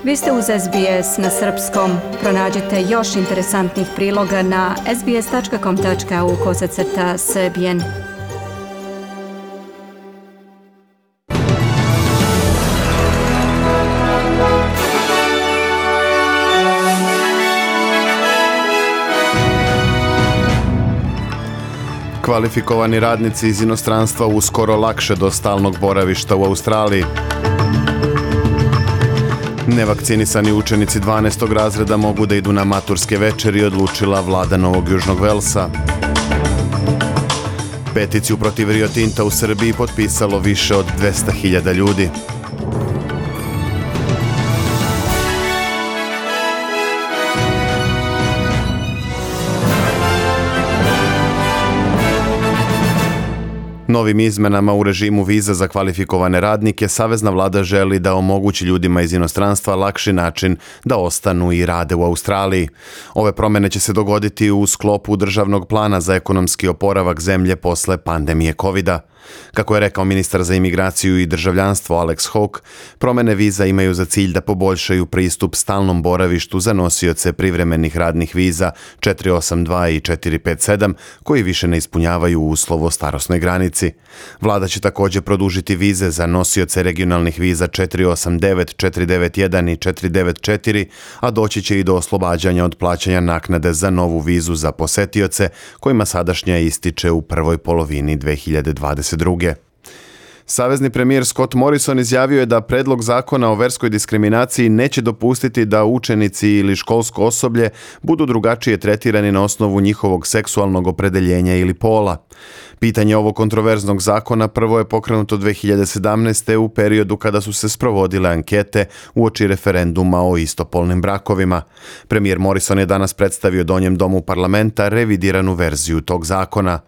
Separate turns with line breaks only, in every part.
Vi ste uz SBS na srpskom. Pronađite još interesantnih priloga na sbs.com.au/srbijen.
Kvalifikovani radnici iz inostranstva uskoro lakše do stalnog boravišta u Australiji. Nevakcinisani učenici 12. razreda mogu da idu na maturske večeri, odlučila vlada Novog Južnog Velsa. Peticiju protiv Rio Tinta u Srbiji potpisalo više od 200.000 ljudi. Novim izmenama u režimu viza za kvalifikovane radnike savezna vlada želi da omogući ljudima iz inostranstva lakši način da ostanu i rade u Australiji. Ove promjene će se dogoditi u sklopu državnog plana za ekonomski oporavak zemlje posle pandemije COVID-a. Kako je rekao ministar za imigraciju i državljanstvo Alex Hawke, promjene viza imaju za cilj da poboljšaju pristup stalnom boravištu za nosioce privremenih radnih viza 482 i 457 koji više ne ispunjavaju uslov o starosnoj granici. Vlada će također produžiti vize za nosioce regionalnih viza 489, 491 i 494, a doći će i do oslobađanja od plaćanja naknade za novu vizu za posetioce kojima sadašnja ističe u prvoj polovini 2022. Savezni premijer Scott Morrison izjavio je da predlog zakona o verskoj diskriminaciji neće dopustiti da učenici ili školsko osoblje budu drugačije tretirani na osnovu njihovog seksualnog opredeljenja ili pola. Pitanje ovog kontroverznog zakona prvo je pokrenuto 2017. u periodu kada su se sprovodile ankete uoči referenduma o istopolnim brakovima. Premijer Morrison je danas predstavio Donjem domu parlamenta revidiranu verziju tog zakona.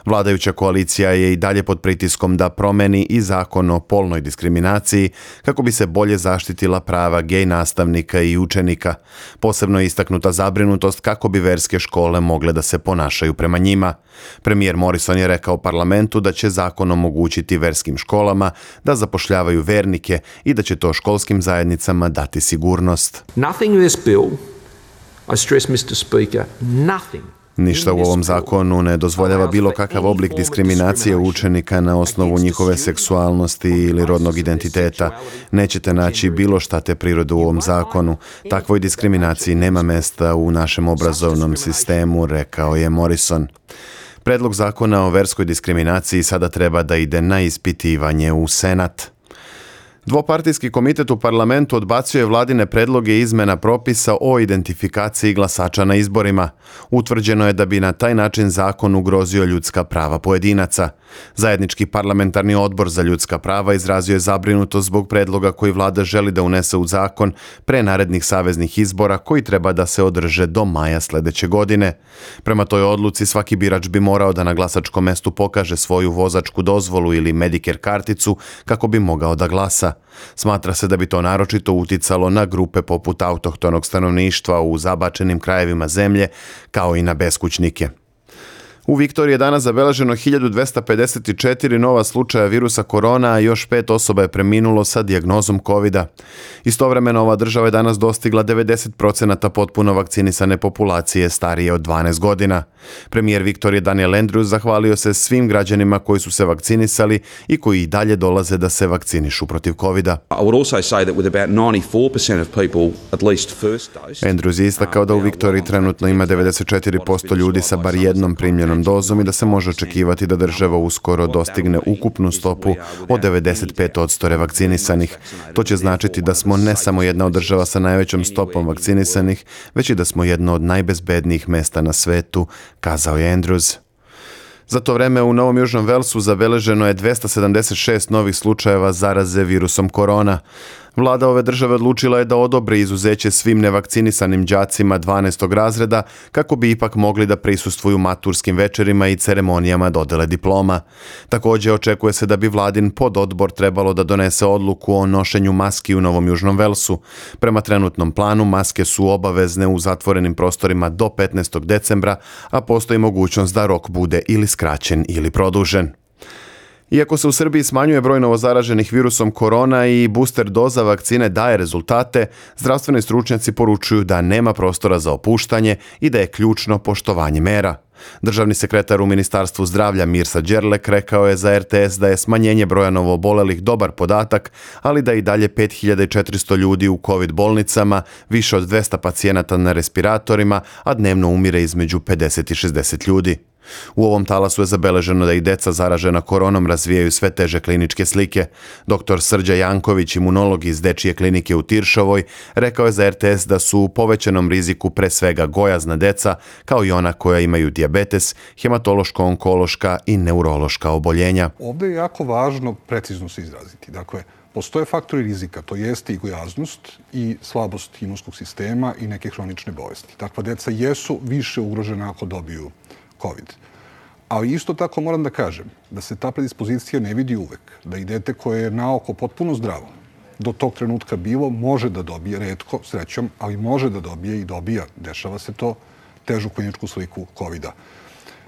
Vladajuća koalicija je i dalje pod pritiskom da promeni i zakon o polnoj diskriminaciji kako bi se bolje zaštitila prava gej nastavnika i učenika. Posebno je istaknuta zabrinutost kako bi verske škole mogle da se ponašaju prema njima. Premijer Morrison je rekao parlamentu da će zakon omogućiti verskim školama da zapošljavaju vernike i da će to školskim zajednicama dati sigurnost.
Nothing in this bill, I stress, Mr. Speaker, nothing.
Ništa u ovom zakonu ne dozvoljava bilo kakav oblik diskriminacije učenika na osnovu njihove seksualnosti ili rodnog identiteta. Nećete naći bilo šta te prirode u ovom zakonu. Takvoj diskriminaciji nema mesta u našem obrazovnom sistemu, rekao je Morrison. Predlog zakona o verskoj diskriminaciji sada treba da ide na ispitivanje u Senat. Dvopartijski komitet u parlamentu odbacio je vladine predloge izmena propisa o identifikaciji glasača na izborima. Utvrđeno je da bi na taj način zakon ugrozio ljudska prava pojedinaca. Zajednički parlamentarni odbor za ljudska prava izrazio je zabrinutost zbog predloga koji vlada želi da unese u zakon pre narednih saveznih izbora koji treba da se održe do maja sledeće godine. Prema toj odluci svaki birač bi morao da na glasačkom mestu pokaže svoju vozačku dozvolu ili Medicare karticu kako bi mogao da glasa. Smatra se da bi to naročito uticalo na grupe poput autohtonog stanovništva u zabačenim krajevima zemlje, kao i na beskućnike. U Viktoriji je danas zabeleženo 1254 nova slučaja virusa korona, a još 5 osoba je preminulo sa dijagnozom COVID-a. Istovremeno ova država je danas dostigla 90% potpuno vakcinisane populacije starije od 12 godina. Premijer Viktorije Daniel Andrews zahvalio se svim građanima koji su se vakcinisali i koji i dalje dolaze da se vakcinišu protiv COVID-a. Andrews je istakao da u Viktoriji trenutno ima 94% ljudi sa bar jednom primljenom dozom i da se može očekivati da država uskoro dostigne ukupnu stopu od 95% revakcinisanih. To će značiti da smo ne samo jedna od država sa najvećom stopom vakcinisanih, već i da smo jedno od najbezbednijih mesta na svetu, kazao je Andrews. Za to vreme u Novom Južnom Velsu zabeleženo je 276 novih slučajeva zaraze virusom korona. Vlada ove države odlučila je da odobri izuzeće svim nevakcinisanim đacima 12. razreda kako bi ipak mogli da prisustvuju maturskim večerima i ceremonijama dodele diploma. Također očekuje se da bi vladin pododbor trebalo da donese odluku o nošenju maski u Novom Južnom Velsu. Prema trenutnom planu maske su obavezne u zatvorenim prostorima do 15. decembra, a postoji mogućnost da rok bude ili skraćen ili produžen. Iako se u Srbiji smanjuje broj novozaraženih virusom korona i booster doza vakcine daje rezultate, zdravstveni stručnjaci poručuju da nema prostora za opuštanje i da je ključno poštovanje mera. Državni sekretar u Ministarstvu zdravlja Mirsa Đerlek rekao je za RTS da je smanjenje broja novoobolelih dobar podatak, ali da i dalje 5400 ljudi u COVID bolnicama, više od 200 pacijenata na respiratorima, a dnevno umire između 50 i 60 ljudi. U ovom talasu je zabeleženo da i deca zaražena koronom razvijaju sve teže kliničke slike. Dr. Srđa Janković, imunolog iz Dečije klinike u Tiršovoj, rekao je za RTS da su u povećanom riziku pre svega gojazna deca, kao i ona koja imaju dijabetes, hematološko-onkološka i neurološka oboljenja.
Ovde je jako važno precizno se izraziti. Dakle, postoje faktori rizika, to jeste i gojaznost i slabost imunskog sistema i neke hronične bolesti. Takva deca jesu više ugrožena ako dobiju COVID. Ali isto tako moram da kažem da se ta predispozicija ne vidi uvek. Da i dete koje je naoko potpuno zdravo do tog trenutka bilo, može da dobije, retko, srećom, ali može da dobije i dobija, dešava se to, težu kliničku sliku COVID-a.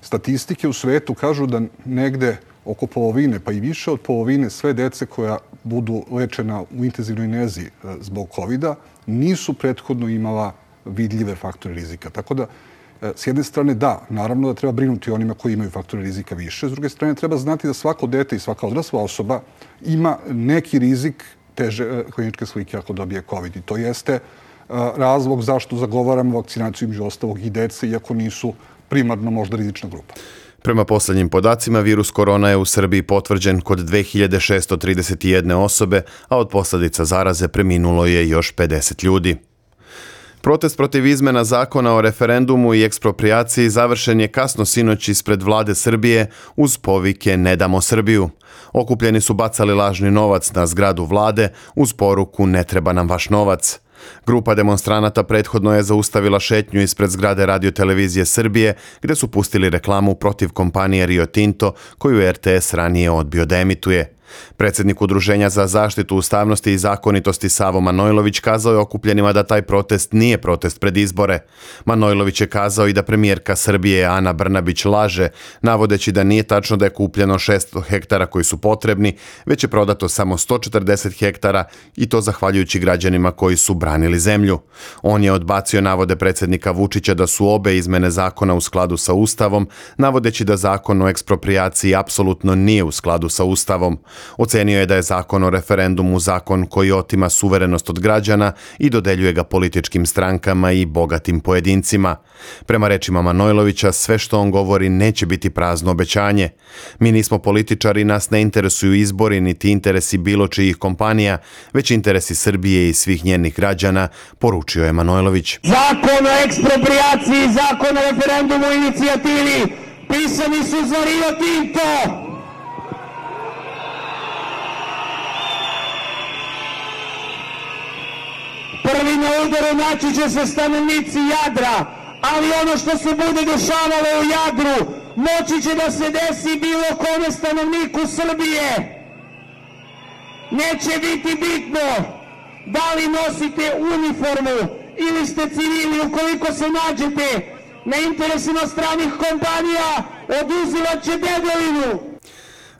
Statistike u svetu kažu da negde oko polovine, pa i više od polovine, sve dece koja budu lečena u intenzivnoj nezi zbog COVID-a nisu prethodno imala vidljive faktore rizika. Tako da, s jedne strane, da, naravno da treba brinuti onima koji imaju faktore rizika više. S druge strane, treba znati da svako dete i svaka odrasla osoba ima neki rizik teže kliničke slike ako dobije COVID. I to jeste razlog zašto zagovaramo vakcinaciju među ostalog i dece, iako nisu primarno možda rizična grupa.
Prema poslednjim podacima, virus korona je u Srbiji potvrđen kod 2631 osobe, a od posledica zaraze preminulo je još 50 ljudi. Protest protiv izmena zakona o referendumu i eksproprijaciji završen je kasno sinoć ispred vlade Srbije uz povike "Ne damo Srbiju". Okupljeni su bacali lažni novac na zgradu vlade uz poruku "Ne treba nam vaš novac". Grupa demonstranata prethodno je zaustavila šetnju ispred zgrade Radio-televizije Srbije, gde su pustili reklamu protiv kompanije Rio Tinto, koju RTS ranije odbio da emituje. Predsjednik Udruženja za zaštitu ustavnosti i zakonitosti Savo Manojlović kazao je okupljenima da taj protest nije protest pred izbore. Manojlović je kazao i da premijerka Srbije Ana Brnabić laže, navodeći da nije tačno da je kupljeno 600 hektara koji su potrebni, već je prodato samo 140 hektara i to zahvaljujući građanima koji su branili zemlju. On je odbacio navode predsjednika Vučića da su obe izmene zakona u skladu sa Ustavom, navodeći da zakon o eksproprijaciji apsolutno nije u skladu sa Ustavom. Ocenio je da je zakon o referendumu zakon koji otima suverenost od građana i dodeljuje ga političkim strankama i bogatim pojedincima. Prema rečima Manojlovića, sve što on govori neće biti prazno obećanje. Mi nismo političari, nas ne interesuju izbori niti interesi bilo čijih kompanija, već interesi Srbije i svih njenih građana, poručio je Manojlović.
Zakon o eksproprijaciji i zakon o referendumu i inicijativi pisani su za Rio Tinto. Prvi na udaru naći će se stanovnici Jadra, ali ono što se bude dešavalo u Jadru moći će da se desi bilo kome stanovniku Srbije. Neće biti bitno da li nosite uniformu ili ste civili, ukoliko se nađete na interesima stranih kompanija, oduzimat će dedovinu.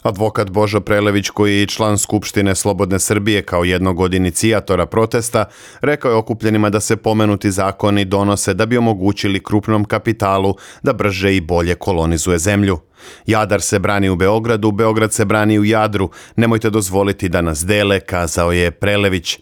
Advokat Božo Prelević, koji je član Skupštine Slobodne Srbije kao jednog od inicijatora protesta, rekao je okupljenima da se pomenuti zakoni donose da bi omogućili krupnom kapitalu da brže i bolje kolonizuje zemlju. Jadar se brani u Beogradu, Beograd se brani u Jadru. Nemojte dozvoliti da nas dele, kazao je Prelević.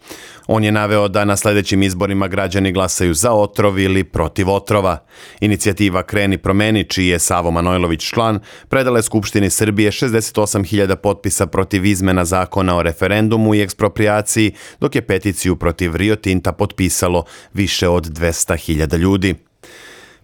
On je naveo da na sljedećim izborima građani glasaju za otrov ili protiv otrova. Inicijativa Kreni promeni, čiji je Savo Manojlović član, predala je Skupštini Srbije 68.000 potpisa protiv izmena zakona o referendumu i eksproprijaciji, dok je peticiju protiv Rio Tinta potpisalo više od 200.000 ljudi.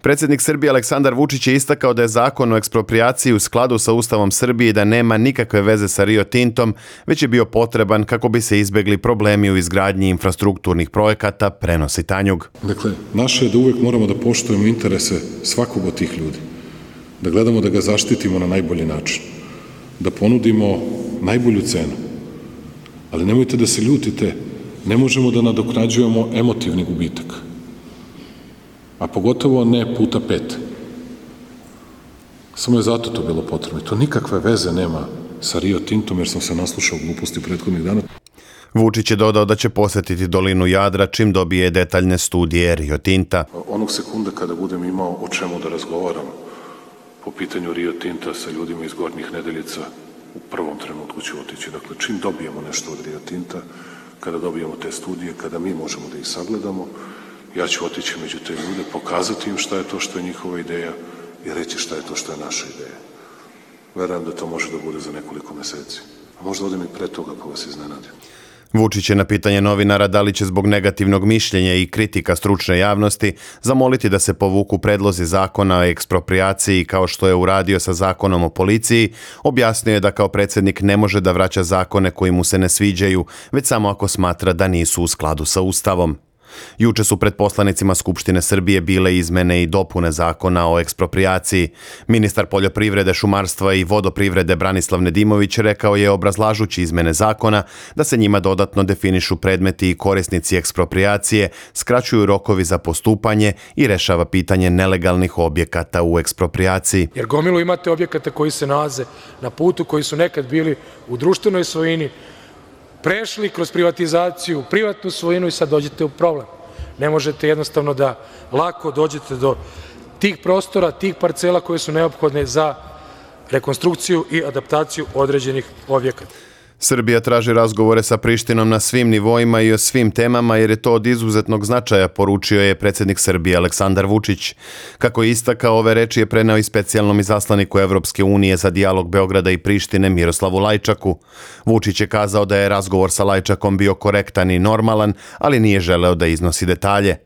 Predsjednik Srbije Aleksandar Vučić je istakao da je zakon o eksproprijaciji u skladu sa Ustavom Srbije i da nema nikakve veze sa Rio Tintom, već je bio potreban kako bi se izbegli problemi u izgradnji infrastrukturnih projekata, prenosi Tanjug.
Dakle, naše je da uvek moramo da poštujemo interese svakog od tih ljudi, da gledamo da ga zaštitimo na najbolji način, da ponudimo najbolju cenu. Ali nemojte da se ljutite, ne možemo da nadoknađujemo emotivni gubitak. A pogotovo ne puta 5. Samo je zato to bilo potrebno. To nikakve veze nema sa Rio Tintom, jer sam se naslušao gluposti prethodnih dana.
Vučić je dodao da će posjetiti dolinu Jadra čim dobije detaljne studije Rio Tinta.
Onog sekunda kada budem imao o čemu da razgovaram po pitanju Rio Tinta sa ljudima iz Gornjih Nedeljica, u prvom trenutku ću otići. Dakle, čim dobijemo nešto od Rio Tinta, kada dobijemo te studije, kada mi možemo da ih sagledamo, ja ću otići među te ljude, pokazati im šta je to što je njihova ideja i reći šta je to što je naša ideja. Verujem da to može da bude za nekoliko meseci. A možda odem i pre toga pa vas iznenadim.
Vučić je na pitanje novinara da li će zbog negativnog mišljenja i kritika stručne javnosti zamoliti da se povuku predlozi zakona o eksproprijaciji kao što je uradio sa zakonom o policiji, objasnio je da kao predsjednik ne može da vraća zakone koji mu se ne sviđaju, već samo ako smatra da nisu u skladu sa Ustavom. Juče su pred poslanicima Skupštine Srbije bile izmene i dopune zakona o eksproprijaciji. Ministar poljoprivrede, šumarstva i vodoprivrede Branislav Nedimović rekao je, obrazlažući izmene zakona, da se njima dodatno definišu predmeti i korisnici eksproprijacije, skraćuju rokovi za postupanje i rešava pitanje nelegalnih objekata u eksproprijaciji.
Jer gomilu imate objekata koji se nalaze na putu, koji su nekad bili u društvenoj svojini, prešli kroz privatizaciju, privatnu svojinu i sad dođete u problem. Ne možete jednostavno da lako dođete do tih prostora, tih parcela koje su neophodne za rekonstrukciju i adaptaciju određenih objekata.
Srbija traži razgovore sa Prištinom na svim nivoima i o svim temama jer je to od izuzetnog značaja, poručio je predsjednik Srbije Aleksandar Vučić. Kako je istakao, ove reči je preneo i specijalnom izaslaniku Evropske unije za dijalog Beograda i Prištine Miroslavu Lajčaku. Vučić je kazao da je razgovor sa Lajčakom bio korektan i normalan, ali nije želeo da iznosi detalje.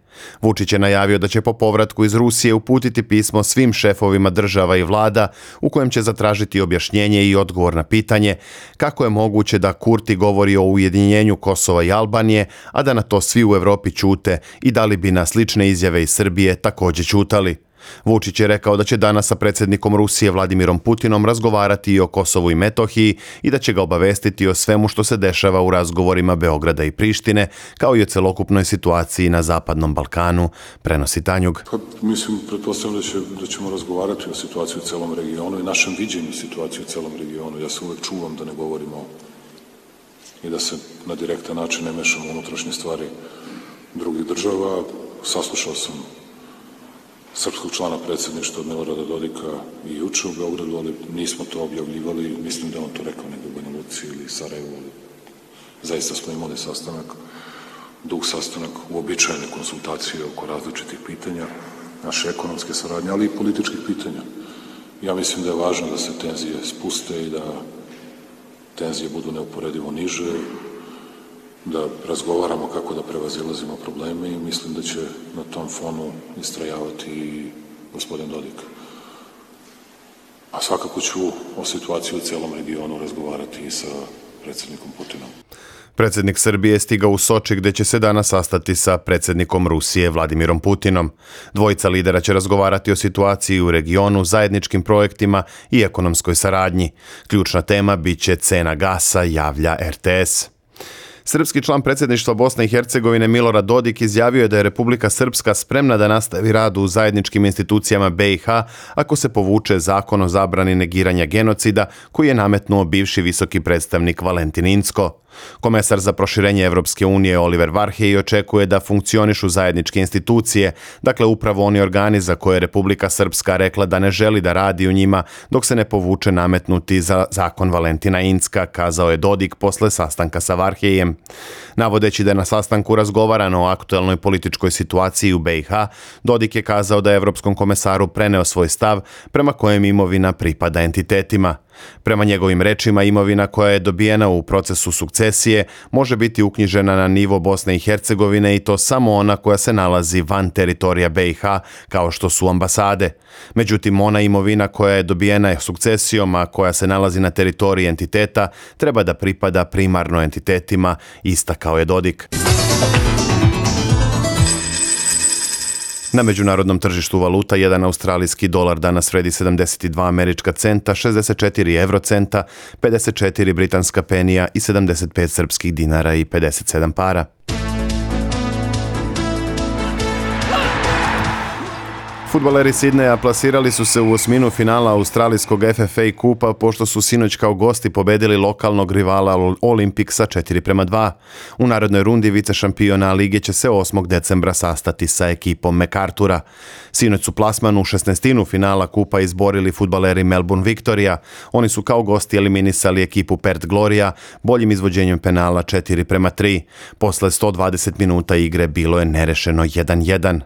Vučić je najavio da će po povratku iz Rusije uputiti pismo svim šefovima država i vlada u kojem će zatražiti objašnjenje i odgovor na pitanje kako je moguće da Kurti govori o ujedinjenju Kosova i Albanije, a da na to svi u Evropi ćute i da li bi na slične izjave iz Srbije također ćutali. Vučić je rekao da će danas sa predsjednikom Rusije Vladimirom Putinom razgovarati i o Kosovu i Metohiji i da će ga obavestiti o svemu što se dešava u razgovorima Beograda i Prištine, kao i o celokupnoj situaciji na Zapadnom Balkanu, prenosi Tanjug.
Mislim, pretpostavljam da ćemo razgovarati o situaciji u celom regionu i našem viđenju situacije u celom regionu. Ja se uvek čuvam da ne govorimo i da se na direktan način ne mešamo u unutrašnje stvari drugih država. Saslušao sam srpskog člana predsjedništva od Milorada Dodika i juče u Beogradu, ali nismo to objavljivali, mislim da on to rekao negdje u Banja Luci ili Sarajevu, ali zaista smo imali sastanak, dug sastanak, uobičajene konsultacije oko različitih pitanja, naše ekonomske saradnje, ali i političkih pitanja. Ja mislim da je važno da se tenzije spuste i da tenzije budu neuporedivo niže, da razgovaramo kako da prevazilazimo probleme i mislim da će na tom fonu istrajavati i gospodin Dodik. A svakako ću o situaciji u celom regionu razgovarati i sa predsjednikom Putinom.
Predsjednik Srbije je stigao u Soči gdje će se danas sastati sa predsjednikom Rusije Vladimirom Putinom. Dvojica lidera će razgovarati o situaciji u regionu, zajedničkim projektima i ekonomskoj saradnji. Ključna tema biće cena gasa, javlja RTS. Srpski član predsjedništva Bosne i Hercegovine Milorad Dodik izjavio je da je Republika Srpska spremna da nastavi rad u zajedničkim institucijama BiH ako se povuče zakon o zabrani negiranja genocida koji je nametnuo bivši visoki predstavnik Valentin Incko. Komesar za proširenje Evropske unije Oliver Varhelyi očekuje da funkcionišu zajedničke institucije, dakle upravo oni organi za koje je Republika Srpska rekla da ne želi da radi u njima dok se ne povuče nametnuti za zakon Valentina Incka, kazao je Dodik posle sastanka sa Varhelyijem. Navodeći da je na sastanku razgovarano o aktuelnoj političkoj situaciji u BiH, Dodik je kazao da je Evropskom komesaru preneo svoj stav prema kojem imovina pripada entitetima. Prema njegovim rečima, imovina koja je dobijena u procesu sukcesije može biti uknjižena na nivo Bosne i Hercegovine i to samo ona koja se nalazi van teritorija BiH, kao što su ambasade. Međutim, ona imovina koja je dobijena sukcesijom, a koja se nalazi na teritoriji entiteta, treba da pripada primarno entitetima, istakao je Dodik. Na međunarodnom tržištu valuta jedan australijski dolar danas vredi 72 američka centa, 64 eurocenta, 54 britanska penija i 75 srpskih dinara i 57 para. Fudbaleri Sidneja plasirali su se u osminu finala australijskog FFA kupa pošto su sinoć kao gosti pobedili lokalnog rivala Olympic sa 4:2. U narodnoj rundi vice šampiona lige će se 8. decembra sastati sa ekipom MacArthura. Sinoć su plasman u 16. finala kupa izborili fudbaleri Melbourne Victoria. Oni su kao gosti eliminisali ekipu Perth Gloria boljim izvođenjem penala 4:3. Posle 120 minuta igre bilo je nerešeno 1:1.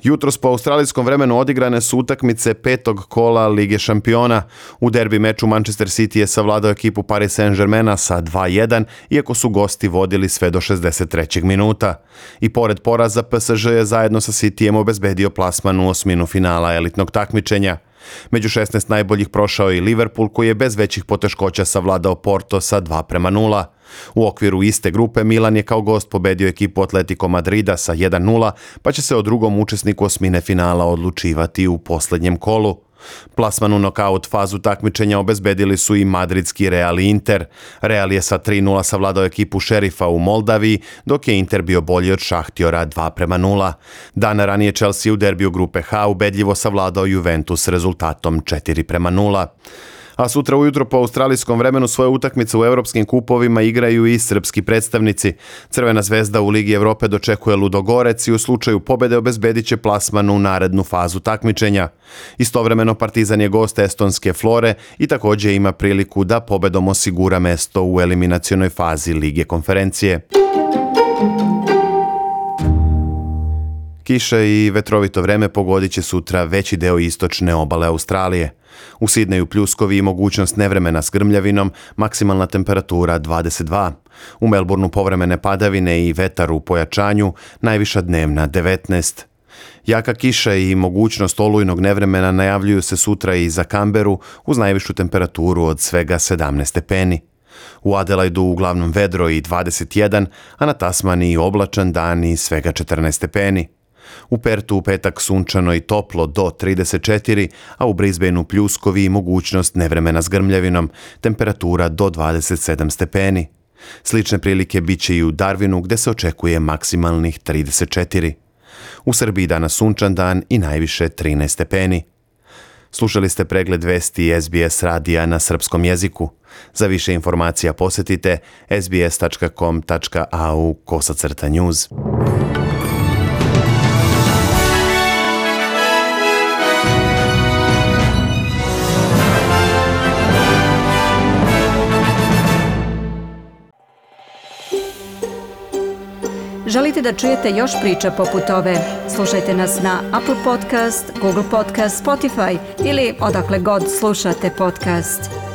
Jutros po australijskom vremenu odigrane su utakmice 5. kola Lige šampiona. U derbi meču Manchester City je savladao ekipu Paris Saint-Germaina sa 2:1, iako su gosti vodili sve do 63. minuta. I pored poraza, PSG je zajedno sa Cityjem obezbedio plasman u osminu finala elitnog takmičenja. Među 16 najboljih prošao i Liverpool, koji je bez većih poteškoća savladao Porto sa 2:0. U okviru iste grupe Milan je kao gost pobedio ekipu Atletico Madrida sa 1:0, pa će se o drugom učesniku osmine finala odlučivati u posljednjem kolu. Plasman u nokaut fazu takmičenja obezbedili su i madridski Real i Inter. Real je sa 3:0 savladao ekipu Šerifa u Moldaviji, dok je Inter bio bolji od Šahtjora 2:0. Dana ranije Chelsea u derbiju grupe H ubedljivo savladao Juventus rezultatom 4:0. A sutra ujutro po australijskom vremenu svoje utakmice u evropskim kupovima igraju i srpski predstavnici. Crvena zvezda u Ligi Evrope dočekuje Ludogorec i u slučaju pobede obezbedit će plasman u narednu fazu takmičenja. Istovremeno Partizan je gost estonske Flore i također ima priliku da pobedom osigura mesto u eliminacionoj fazi Lige konferencije. Kiša i vetrovito vreme pogodit će sutra veći deo istočne obale Australije. U Sidneju pljuskovi i mogućnost nevremena s grmljavinom, maksimalna temperatura 22. U Melbourneu povremene padavine i vetar u pojačanju, najviša dnevna 19. Jaka kiša i mogućnost olujnog nevremena najavljuju se sutra i za Canberu uz najvišu temperaturu od svega 17 stepeni. U Adelaidu uglavnom vedro i 21, a na Tasmaniji oblačan dan i svega 14 stepeni. U Pertu u petak sunčano i toplo do 34, a u Brisbaneu pljuskovi i mogućnost nevremena s grmljavinom, temperatura do 27 stepeni. Slične prilike bit će i u Darwinu gdje se očekuje maksimalnih 34. U Srbiji danas sunčan dan i najviše 13 stepeni. Slušali ste pregled vesti SBS radija na srpskom jeziku. Za više informacija posjetite sbs.com.au/news.
Želite da čujete još priča poput ove? Slušajte nas na Apple Podcast, Google Podcast, Spotify ili odakle god slušate podcast.